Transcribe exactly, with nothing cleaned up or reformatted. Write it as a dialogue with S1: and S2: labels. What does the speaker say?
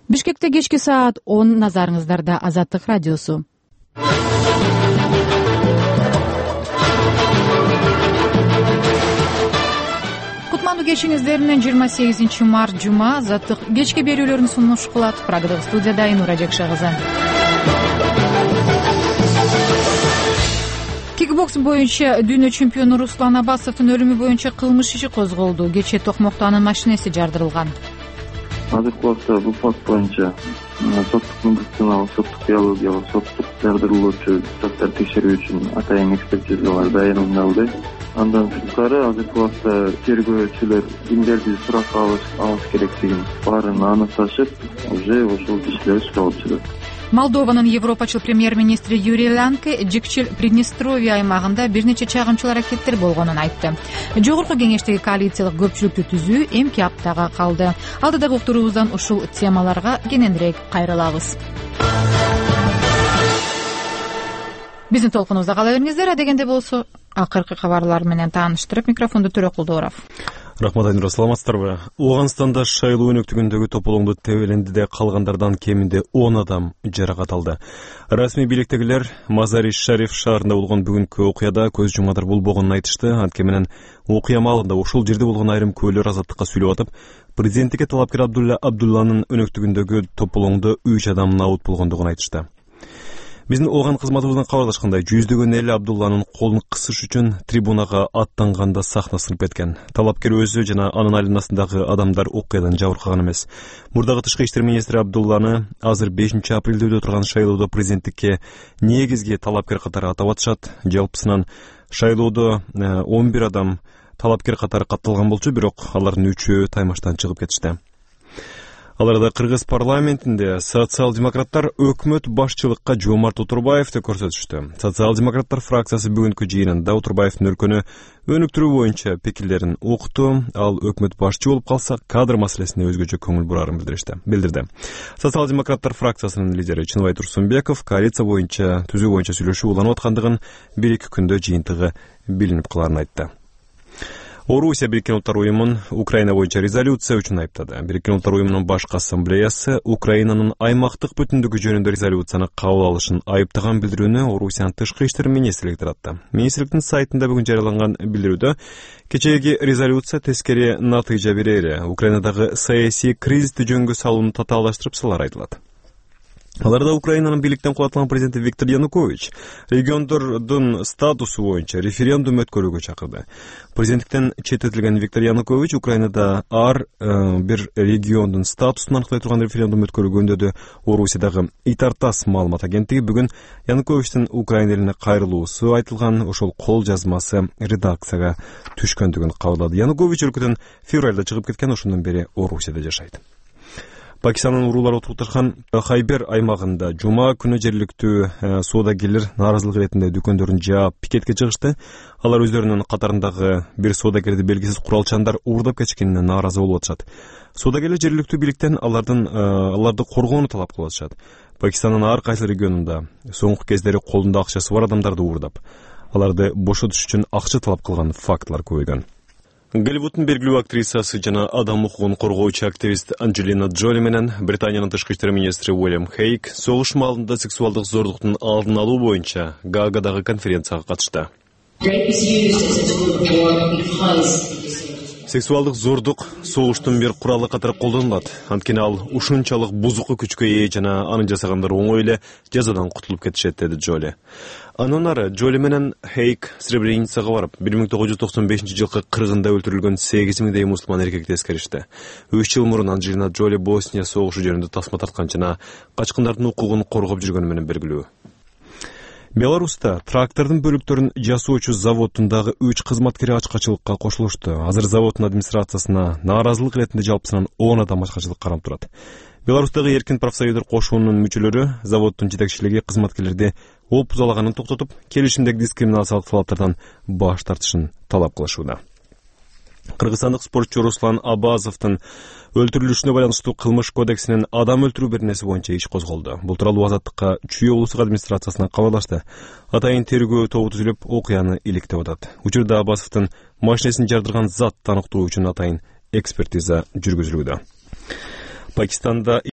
S1: Бишкекте кечки саат он, назарыңыздарда Азаттык радиосу. Кутмандуу кечиңиздер менен жыйырма сегизинчи март жума Азаттык кечки берүүлөрүн сунуш кылат. Программада студияда Айнура Жакша кызы. Кикбокс боюнча дүйнө чемпиону Руслан Абасовдун өлүмү боюнча кылмыш иши козголду. Кечээ Токмокто анын машинеси жардырылган.
S2: Азыркы убакта бул факт боюнча соттук медициналык, соттук биологиялык, соттук жардырылуучу заттар текшерүү үчүн атайын экспертизалар даярдалды. Андан сырткары азыркы убакта тергөөчүлөр кимдерди суракка алыш керектигин баарын аныкташып, уже ушул кишилер ишке алып чыгат.
S1: Молдованын европачыл премьер-министри Юрий Ланке жикчил Приднестровье аймагында бир нече чагымчыл аракеттер болгонун айтты. Жогорку кеңештеги коалициялык көпчүлүктү түзүү эмки аптага калды. Алдыдагы уктуруубуздан ушул темаларга кененирээк кайрылабыз. Биздин толкунубузда кала бериңиздер. Адегенде болсо акыркы кабарлар менен тааныштырып, микрофонду Төрөкул Дооров.
S3: Рахмат, Айнура, саламатсыздарбы? Ооганстанда шайлоо өнөктүгүндөгү тополоңду тебелендиде калгандардан кеминде он адам жаракат алды. Расмий бийликтегилер Мазари-Шариф шаарында болгон бүгүнкү окуяда көз жумадар болбогонун айтышты. Анткени менен окуя маалында ушул жерде болгон айрым көөлөр Азаттыкка сүйлөп атып, президенттикке талапкер Абдулла Абдулланын өнөктүгүндөгү тополоңдо үч адам набут болгондугун айтышты. Биздин ооган кызматыбыздан кабарлашкандай, жүздөгөн эл Абдулланын колун кысыш үчүн трибунага аттанганда сахна сынып кеткен. Талапкер өзү жана анын айланасындагы адамдар окуядан жабыркаган эмес. Мурдагы тышкы иштер министри Абдулланы азыр бешинчи апрелде өтө турган шайлоодо президенттикке негизги талапкер катары атап атышат. Жалпысынан шайлоодо он бир адам талапкер катары катталган болчу, бирок алардын үчөө таймаштан чыгып кетишти. Аларда Кыргыз парламентинде социал-демократтар өкмөт башчылыкка Жомарт Отурбаевди көрсөтүштү. Социал-демократтар фракциясы бүгүнкү жыйынында Отурбаевдин өлкөнү өнүктүрүү боюнча пикирлерин укту. Ал өкмөт башчы болуп калса, кадр маселесине өзгөчө көңүл бурарын билдирди. Социал-демократтар фракциясынын лидери Чыныбай Турсунбеков коалиция боюнча түзүү боюнча сүйлөшүү уланып аткандыгын бир-эки күндө жыйынтыгы билинип каларын айтты. Орусия Бириккен Улуттар уюмун Украина боюнча резолюция үчүн айыптады. Бириккен Улуттар уюмунун башкы ассамблеясы Украинанын аймактык бүтүндүгү жөнүндө резолюцияны кабыл алышын айыптаган билдирүүнү Орусиянын тышкы иштер министрлиги таратты. Министрликтин сайтында бүгүн жарыяланган билдирүүдө кечээги резолюция тескери натыйжа берери, Украинадагы саясий кризисти жөнгө салууну татаалаштырып салары айтылат. Аларда Украинанын бийликтен кулатылган президенти Виктор Янукович региондордун статусу боюнча референдум өткөрүүгө чакырды. Президенттиктен четтетилген Виктор Янукович Украинада ар э, бир региондун статусун аныклай турган референдум өткөрүүгө үндөдү. Орусиядагы Итартас маалымат агенттиги бүгүн Януковичтин Украина элине кайрылуусу айтылган ошол кол жазмасы редакцияга түшкөндүгүн кабарлады. Янукович өлкөдөн февралда чыгып кеткен, ошондон бери Орусияда жашайт. Пакистандын уруулары отурташкан Хайбер аймагында жума күнү жергиликтүү соодагерлер нааразылык иретинде дүкөндөрүн жаап пикетке чыгышты. Алар өздөрүнүн катарындагы бир соодагерди белгисиз куралчандар уурдап кетишкенине нааразы болуп атышат. Соодагерлер жергиликтүү бийликтен алардын аларды коргоону талап кылып атышат. Пакистандын ар кайсы регионунда соңку кездери колунда акчасы бар адамдарды уурдап, аларды бошотуш үчүн акча талап кылган фактылар көбөйгөн. Голливуддун белгилүү актрисасы жана адам укугун коргоочу активист Анджелина Джоли менен Британиянын тышкы иштер министри Уильям Хейк согуш маалында сексуалдык зордуктун алдын алуу боюнча Гаагадагы конференцияга катышты. Сексуалдык зордук согуштун бир куралы катары колдонулат. Анткени ал ушунчалык бузуку күчкө ээ жана аны жасагандар оңой эле жазадан кутулуп кетишет, деди Джоли. Андан ары Джоли менен Хейк Сребреницага барып, бир миң тогуз жүз токсон бешинчи жылкы кыргында өлтүрүлгөн сегиз миңдей мусулман эркекти эскеришти. үч жыл мурун Анджелина Джоли Босния согушу жөнүндө тасма тарткан жана качкындардын укугун коргоп жүргөнү менен белгилүү. Беларуста трактордун бөлүктөрүн жасоочу заводундагы үч кызматкери ачкачылыкка кошулушту. Азыр заводдун администрациясына нааразылык иретинде жалпысынан он адам ачкачылык карап турат. Беларустагы эркин профсоюздар кошуунун мүчөлөрү заводдун жетекчилиги кызматкерлерди оп бузалаганын токтотуп, келишимдеги дискриминациялык талаптардан баш тартышын талап кылышууда. Кыргызстандык спортчу Руслан Абазовдун өлтүрүлүшүнө байланыштуу кылмыш кодексинин адам өлтүрүү беренеси боюнча иш козголду. Бул тууралуу Азаттыкка Чүй облустук администрациясынан кабарлашты. Атайын тергөө тобу түзүлүп, окуяны иликтеп атат. Учурда Абазовдун машинесин жардырган зат аныктоо үчүн атайын экспертиза жүргүзүлүүдө. Пакистанда